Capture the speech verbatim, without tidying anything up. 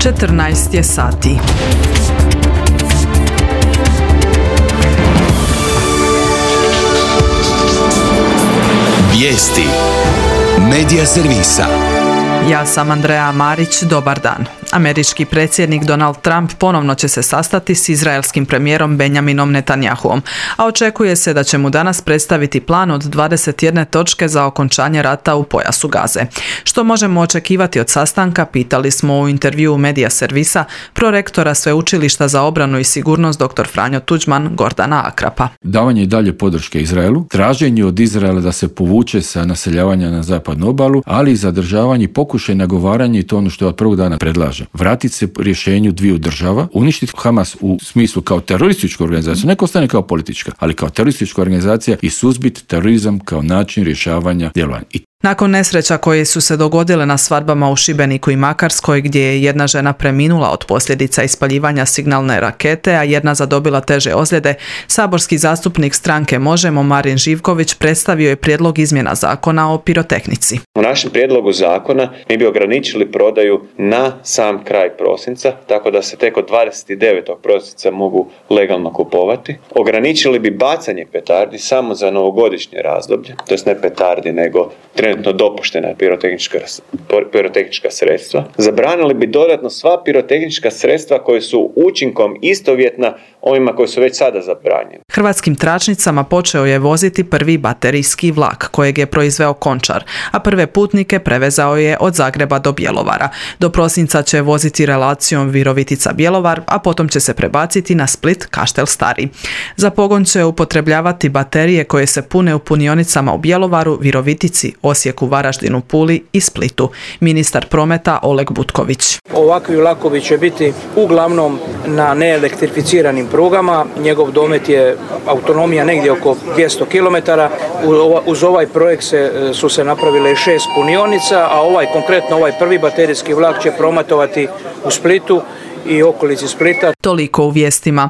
četrnaest je sati. Vijesti Medija servisa. Ja sam Andreja Marić, dobar dan. Američki predsjednik Donald Trump ponovno će se sastati s izraelskim premijerom Benjaminom Netanjahuom, a očekuje se da će mu danas predstaviti plan od dvadeset jedne točke za okončanje rata u pojasu Gaze. Što možemo očekivati od sastanka, pitali smo u intervjuu Medija servisa prorektora Sveučilišta za obranu i sigurnost dr. Franjo Tuđman Gordana Akrapa. Davanje i dalje podrške Izraelu, traženje od Izraela da se povuče sa naseljavanja na zapadnu obalu, ali i zadržavanje i pokušaj nagovaranja, i to ono što je od prvog dana predlaže. Vratiti se rješenju dviju država, uništiti Hamas u smislu kao terorističku organizaciju, neko ostane kao politička, ali kao teroristička organizacija, i suzbiti terorizam kao način rješavanja djelovanja. I Nakon nesreća koje su se dogodile na svadbama u Šibeniku i Makarskoj, gdje je jedna žena preminula od posljedica ispaljivanja signalne rakete, a jedna zadobila teže ozljede, saborski zastupnik stranke Možemo Marin Živković predstavio je prijedlog izmjena zakona o pirotehnici. U našem prijedlogu zakona mi bi ograničili prodaju na sam kraj prosinca, tako da se tek od dvadeset devetog prosinca mogu legalno kupovati. Ograničili bi bacanje petardi samo za novogodišnje razdoblje, to jest ne petardi nego trenutno dopuštena pirotehnička, pirotehnička sredstva. Zabranili bi dodatno sva pirotehnička sredstva koje su učinkom istovjetna ovima koji su već sada zabranjeni. Hrvatskim tračnicama počeo je voziti prvi baterijski vlak kojeg je proizveo Končar, a prve putnike prevezao je od Zagreba do Bjelovara. Do prosinca će voziti relacijom Virovitica-Bjelovar, a potom će se prebaciti na Split-Kaštel Stari. Za pogon će upotrebljavati baterije koje se pune u punionicama u Bjelovaru, Virovitici, Osijeku, Varaždinu, Puli i Splitu. Ministar prometa Oleg Butković. Ovakvi vlakovi će biti uglavnom na neelektrificiranim prugama. Njegov domet je autonomija negdje oko dvjesto kilometara. Uz ovaj projekt se, su se napravile šest punionica, a ovaj konkretno ovaj prvi baterijski vlak će prometovati u Splitu i okolici Splita. Toliko u vijestima.